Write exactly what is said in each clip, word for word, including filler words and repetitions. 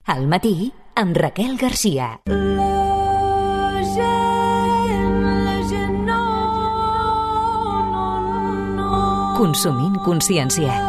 Al matí, amb Raquel Garcia. Consumint consciència.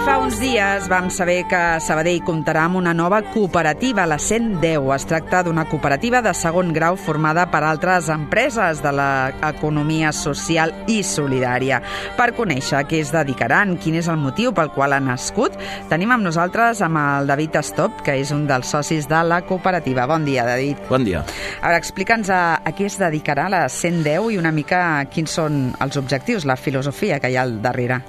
Fa uns dies vam saber que Sabadell comptarà amb una nova cooperativa, la cent deu. Es tracta d'una cooperativa de segon grau formada per altres empreses de l'economia social i solidària. Per conèixer a què es dedicaran, quin és el motiu pel qual ha nascut, tenim amb nosaltres amb el David Estop, que és un dels socis de la cooperativa. Bon dia, David. Bon dia. A veure, explica'ns a, a què es dedicarà la cent deu i una mica quins són els objectius, la filosofia que hi ha al darrere.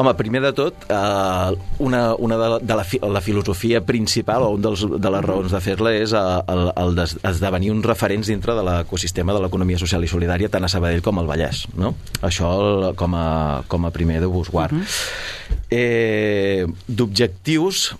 Home, primer de tot, eh, una, una de, la, de la, la filosofia principal, o una de les raons de fer-la, és el, el d'esdevenir uns referents dintre de l'ecosistema de l'economia social i solidària, tant a Sabadell com al Vallès, no? Això com a, com a primer de busguard. Uh-huh. eh, D'objectius,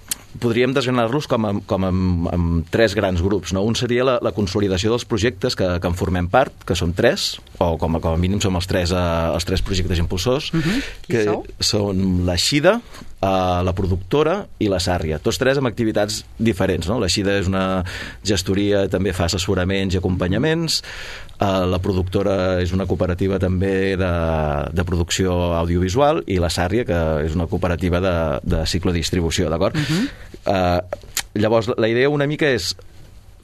podríem desgranar-los com, a, com a, amb tres grans grups, no? Un seria la, la consolidació dels projectes que, que en formem part, que són tres, o com a, com a mínim som els tres, uh, els tres projectes impulsors, uh-huh. que sou? Són la Xida, uh, la productora i la Sàrria. Tots tres amb activitats diferents, no? La Xida és una gestoria, també fa assessoraments i acompanyaments. Uh, la productora és una cooperativa també de, de producció audiovisual, i la Sàrria, que és una cooperativa de, de ciclodistribució, d'acord? Uh-huh. Uh, llavors, la idea una mica és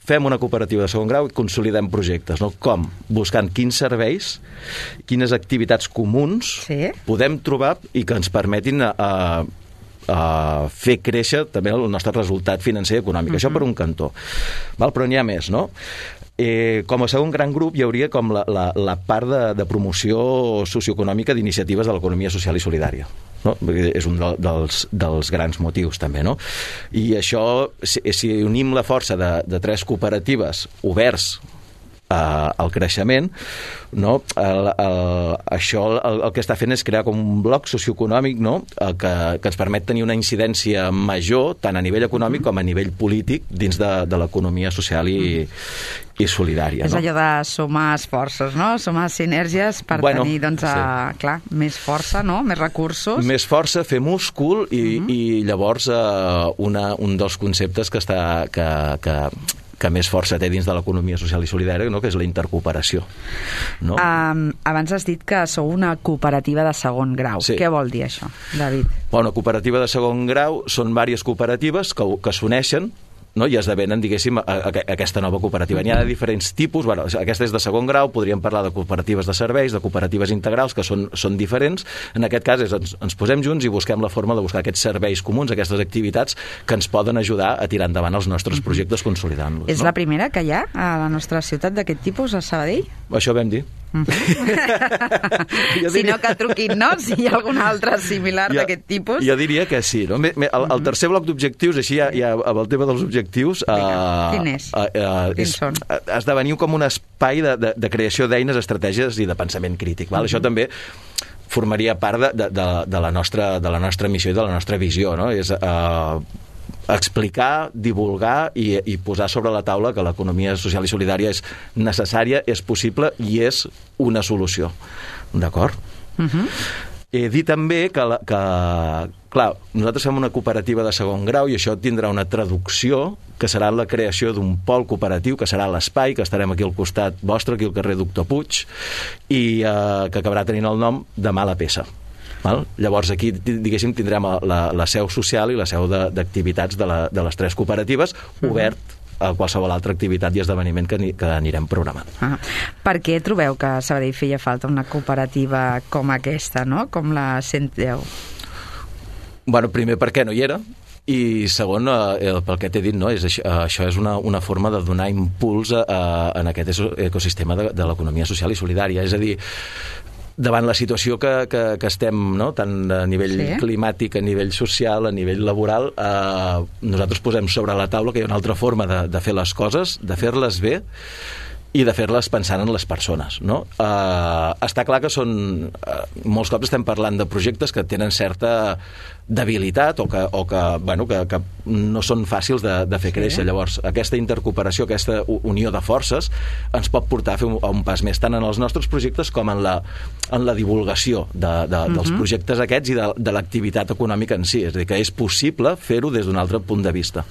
fem una cooperativa de segon grau i consolidem projectes, no? Com? Buscant quins serveis, quines activitats comuns sí. podem trobar i que ens permetin a, a, a fer créixer també el nostre resultat financer i econòmic. Uh-huh. Això per un cantó. Val? Però n'hi ha més, no? Eh, com a segon gran grup hi hauria com la, la, la part de, de promoció socioeconòmica d'iniciatives de l'economia social i solidària, no? És un de, dels, dels grans motius també, no? I això, si, si unim la força de, de tres cooperatives oberts Uh, el creixement, no? el, el, això el, el que està fent és crear com un bloc socioeconòmic, no? el que, que ens permet tenir una incidència major tant a nivell econòmic com a nivell polític dins de, de l'economia social i, i solidària. És no? allò de sumar esforços, no? Sumar sinergies per bueno, tenir doncs, a, sí. clar, més força, no? Més recursos. Més força, fer múscul i, uh-huh. i llavors uh, una, un dels conceptes que està que, que que més força té dins de l'economia social i solidària, no? Que és la intercooperació. No? Um, abans has dit que sou una cooperativa de segon grau. Sí. Què vol dir això, David? Bueno, una cooperativa de segon grau són diverses cooperatives que, que s'uneixen, no? I esdevenen, diguéssim, a, a, a aquesta nova cooperativa. N'hi ha de diferents tipus. Bueno, aquesta és de segon grau, podríem parlar de cooperatives de serveis, de cooperatives integrals, que són, són diferents. En aquest cas és, ens, ens posem junts i busquem la forma de buscar aquests serveis comuns, aquestes activitats que ens poden ajudar a tirar endavant els nostres projectes consolidant-los. És no? la primera que hi ha a la nostra ciutat d'aquest tipus, a Sabadell? Això vam dir. Uh-huh. Si no, que truquin, no? Si hi ha alguna altra similar jo, d'aquest tipus. Jo diria que sí, no? El, el tercer bloc d'objectius, així ja, ja amb el tema dels objectius, uh, quin és? Uh, uh, Quins és, són? Esdevenir com un espai de, de, de creació d'eines, estratègies i de pensament crític. Val? Uh-huh. Això també formaria part de, de, de, de, la nostra, de la nostra missió i de la nostra visió, no? És uh, explicar, divulgar i, i posar sobre la taula que l'economia social i solidària és necessària, és possible i és una solució. D'acord? Uh-huh. He dit també que, la, que, clar, nosaltres fem una cooperativa de segon grau i això tindrà una traducció que serà la creació d'un pol cooperatiu, que serà l'espai, que estarem aquí al costat vostre, aquí al carrer Doctor Puig, i eh, que acabarà tenint el nom de Mala Peça. Val? Llavors aquí, diguéssim, tindrem la, la seu social i la seu d'activitats de, de, la, de les tres cooperatives obert a qualsevol altra activitat i esdeveniment que, que anirem programant. Ah, per què trobeu que a Sabadell feia falta una cooperativa com aquesta, no? Com la cent deu? Bueno, primer perquè no hi era, i segon, eh, pel que t'he dit, no? és, això és una, una forma de donar impuls a, a, en aquest ecosistema de, de l'economia social i solidària. És a dir, davant la situació que, que, que estem, no? Tant a nivell sí. climàtic, a nivell social, a nivell laboral, eh, nosaltres posem sobre la taula que hi ha una altra forma de, de fer les coses, de fer-les bé, i de fer-les pensant en les persones, no? Uh, està clar que són... Uh, molts cops estem parlant de projectes que tenen certa debilitat o que, o que, bueno, que, que no són fàcils de, de fer créixer. Sí. Llavors, aquesta intercooperació, aquesta unió de forces ens pot portar a fer un, a un pas més tant en els nostres projectes com en la, en la divulgació de, de, uh-huh. dels projectes aquests i de, de l'activitat econòmica en si. És a dir, que és possible fer-ho des d'un altre punt de vista.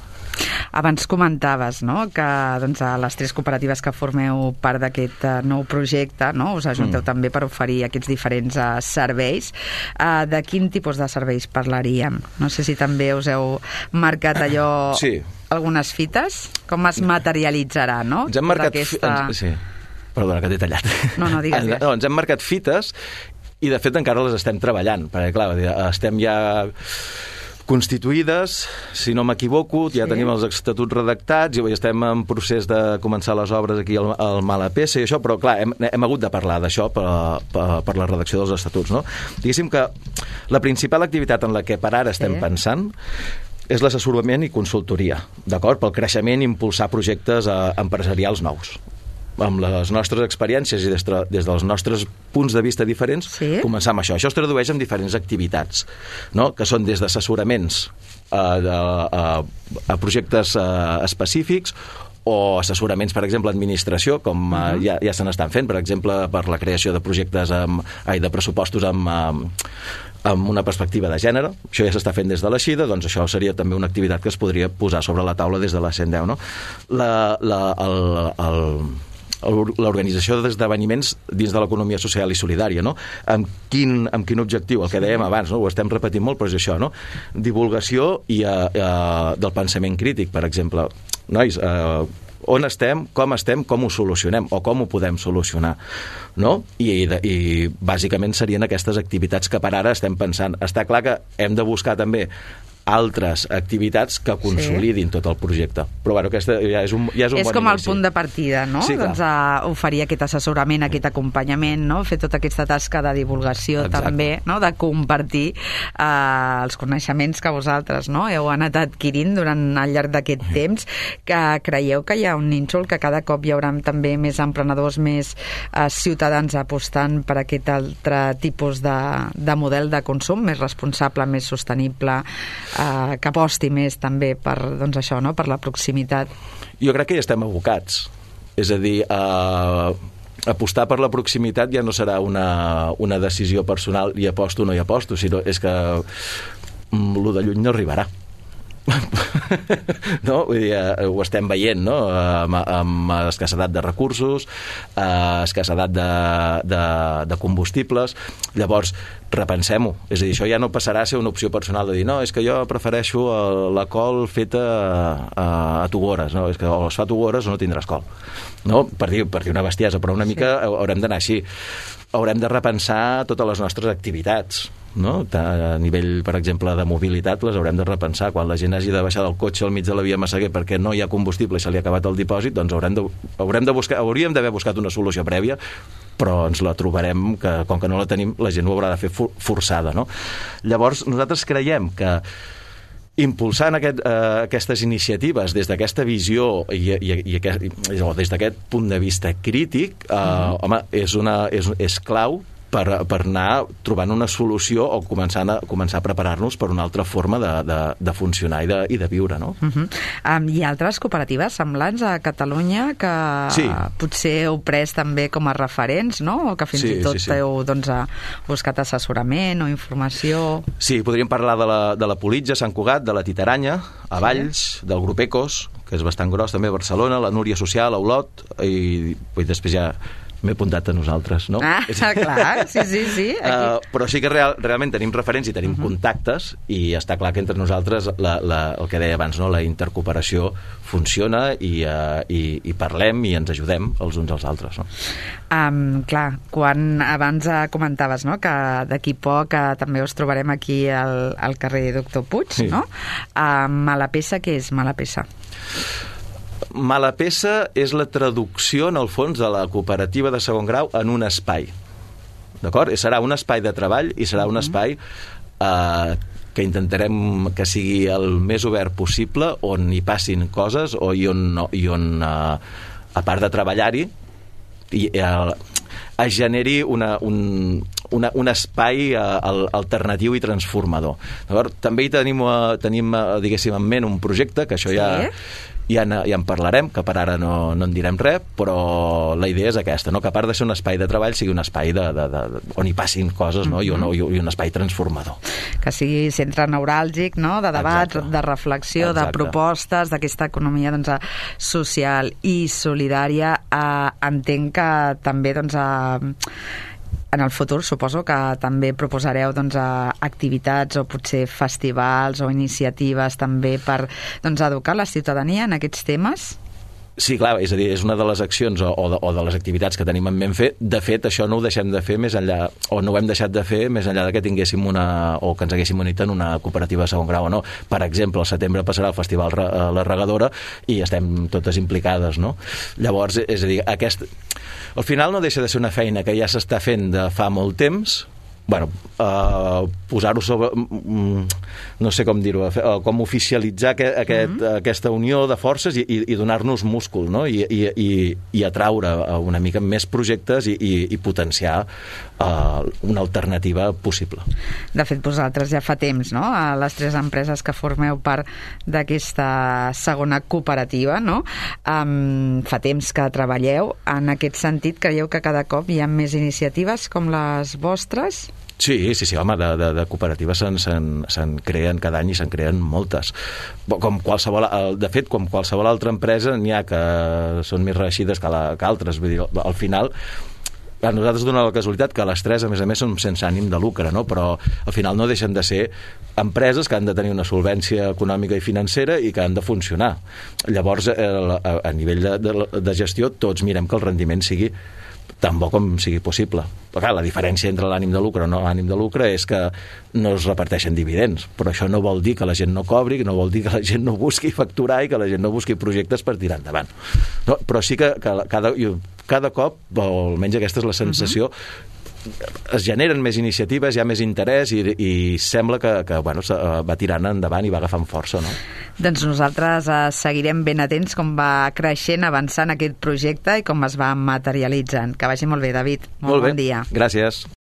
Abans comentaves, no?, que doncs, a les tres cooperatives que formeu part d'aquest uh, nou projecte, no?, us ajunteu mm. també per oferir aquests diferents uh, serveis. Uh, de quin tipus de serveis parlaríem? No sé si també us heu marcat allò... Sí. Algunes fites? Com es materialitzarà, no? Ens hem marcat... Aquesta... Ens, sí. Perdona, que t'he tallat. No, no, digues. No, ens hem marcat fites i, de fet, encara les estem treballant, perquè, clar, estem ja... constituïdes, si no m'equivoco, ja sí. tenim els estatuts redactats i estem en procés de començar les obres aquí al, al Malapesa i això, però clar, hem, hem hagut de parlar d'això per, per, per la redacció dels estatuts, no? Diguéssim que la principal activitat en la que per ara estem sí. pensant és l'assessorament i consultoria, d'acord? Pel creixement i impulsar projectes eh, empresarials nous. Amb les nostres experiències i des, de, des dels nostres punts de vista diferents, sí. començar amb això. Això es tradueix en diferents activitats, no? Que són des d'assessoraments a, a, a projectes a, específics o assessoraments, per exemple, a administració, com uh-huh. uh, ja, ja se n'estan fent, per exemple, per la creació de projectes amb, ai, de pressupostos amb... amb amb una perspectiva de gènere, això ja s'està fent des de la Xida, doncs això seria també una activitat que es podria posar sobre la taula des de la cent deu, no? La, la, el, el, l'organització d'esdeveniments dins de l'economia social i solidària, no? Amb quin, amb quin objectiu? El que dèiem abans, no? Ho estem repetint molt, però és això, no? Divulgació i, uh, uh, del pensament crític, per exemple. Nois, uh, on estem, com estem, com ho solucionem o com ho podem solucionar, no? I, i, i bàsicament serien aquestes activitats que per ara estem pensant. Està clar que hem de buscar també altres activitats que consolidin sí. tot el projecte. Però bueno, aquesta ja és un, ja és un és bon com inici. El punt de partida, no? Sí, doncs a oferir aquest assessorament, aquest acompanyament, no? Fer tota aquesta tasca de divulgació Exacte. També, no? De compartir eh, els coneixements que vosaltres, no? Heu anat adquirint durant al llarg d'aquest mm. temps, que creieu que hi ha un nínxol, que cada cop hi haurà també més emprenedors, més eh, ciutadans apostant per aquest altre tipus de, de model de consum, més responsable, més sostenible, Uh, que aposti més també per, doncs això, no? Per la proximitat. Jo crec que ja estem abocats. És a dir, uh, apostar per la proximitat ja no serà una, una decisió personal i aposto o no hi aposto, sinó és que mm, lo de lluny no arribarà. No? Vull dir, eh, ho estem veient, no? Amb, amb escassedat de recursos, eh, escassedat de, de, de combustibles. Llavors, repensem-ho. És a dir, això ja no passarà a ser una opció personal de dir, no, és que jo prefereixo la col feta a, a Tugores, no? És que o es fa Tugores o no tindràs col. No? Per dir, per dir una bestiesa, però una mica sí. haurem d'anar així. Haurem de repensar totes les nostres activitats, no? A nivell, per exemple, de mobilitat les haurem de repensar. Quan la gent hagi de baixar del cotxe al mig de la via Massaguer perquè no hi ha combustible i se li ha acabat el dipòsit, doncs haurem de, haurem de buscar, hauríem d'haver buscat una solució prèvia, però ens la trobarem, que com que no la tenim, la gent ho haurà de fer forçada, no? Llavors, nosaltres creiem que impulsant aquest, eh, aquestes iniciatives des d'aquesta visió i, i, i, aquest, i des d'aquest punt de vista crític, eh, mm. home, és, una, és, és clau per, per anar trobant una solució o començar a, començar a preparar-nos per una altra forma de, de, de funcionar i de, i de viure, no? Uh -huh. um, Hi ha altres cooperatives semblants a Catalunya que sí. potser heu pres també com a referents, no? O que fins sí, i tot sí, sí. heu doncs, buscat assessorament o informació. Sí, podríem parlar de la, de la Politja, Sant Cugat, de la Titaranya, a Valls, sí. del grup Ecos, que és bastant gros també a Barcelona, la Núria Social, a Olot, i, i després ja m'he apuntat a nosaltres, no? Ah, clar, sí, sí, sí. Uh, però sí que real, realment tenim referents i tenim uh-huh. contactes i està clar que entre nosaltres la, la, el que deia abans, no? La intercooperació funciona i, uh, i, i parlem i ens ajudem els uns als altres, no? Um, clar, quan abans comentaves, no? Que d'aquí poc uh, també us trobarem aquí al, al carrer Doctor Puig, sí. no? Uh, Malapesa, què és Malapesa? Malapesa és la traducció, en el fons, de la cooperativa de segon grau en un espai. D'acord? Serà un espai de treball i serà un espai eh, que intentarem que sigui el més obert possible, on hi passin coses o i on, i on eh, a part de treballar-hi, i, el, es generi una, un, una, un espai uh, alternatiu i transformador. Llavors, també hi tenim, uh, tenim uh, diguéssim, en ment un projecte, que això sí? ja, ja, en, ja en parlarem, que per ara no, no en direm res, però la idea és aquesta, no? Que a part de ser un espai de treball sigui un espai de, de, de, de, on hi passin coses, no? Mm-hmm. I, un, I un espai transformador. Que sigui centre neuràlgic, no? De debat, exacte, de reflexió, exacte, de propostes, d'aquesta economia doncs, social i solidària. Eh, entenc que també doncs, eh, en el futur suposo que també proposareu doncs, activitats o potser festivals o iniciatives també per doncs, educar la ciutadania en aquests temes? Sí, clar, és a dir, és una de les accions o, o, de, o de les activitats que tenim en ment fer. De fet, això no ho deixem de fer més enllà, o no ho hem deixat de fer més enllà de que tinguéssim una, o que ens haguéssim unit en una cooperativa de segon grau o no. Per exemple, al setembre passarà el Festival La Regadora i estem totes implicades, no? Llavors, és a dir, aquest... al final no deixa de ser una feina que ja s'està fent de fa molt temps. Bueno, uh, posar-ho sobre... no sé com dir-ho, uh, com oficialitzar aquest, aquest, mm-hmm. aquesta unió de forces i, i, i donar-nos múscul, no? I, i, i, i atraure una mica més projectes i, i, i potenciar uh, una alternativa possible. De fet, vosaltres ja fa temps, no?, a les tres empreses que formeu part d'aquesta segona cooperativa, no?, um, fa temps que treballeu. En aquest sentit, creieu que cada cop hi ha més iniciatives com les vostres? Sí, sí, sí, home, de, de, de cooperatives se'n, se'n, se'n creen cada any i se'n creen moltes. Com qualsevol, de fet, com qualsevol altra empresa, n'hi ha que són més reeixides que, la, que altres. Vull dir, al final, a nosaltres dona la casualitat que les tres, a més a més, són sense ànim de lucre, no? Però al final no deixen de ser empreses que han de tenir una solvència econòmica i financera i que han de funcionar. Llavors, a, a nivell de, de, de gestió, tots mirem que el rendiment sigui tan bo com sigui possible. Però clar, la diferència entre l'ànim de lucre o no l'ànim de lucre és que no es reparteixen dividends, però això no vol dir que la gent no cobri, no vol dir que la gent no busqui facturar i que la gent no busqui projectes per tirar endavant. No, però sí que, que cada, cada cop, o almenys aquesta és la sensació, uh-huh. es generen més iniciatives, hi ha més interès i, i sembla que, que bueno, va tirant endavant i va agafant força, no? Doncs nosaltres eh, seguirem ben atents com va creixent, avançant aquest projecte i com es va materialitzant. Que vagi molt bé, David. Molt, molt bé. Bon dia. Gràcies.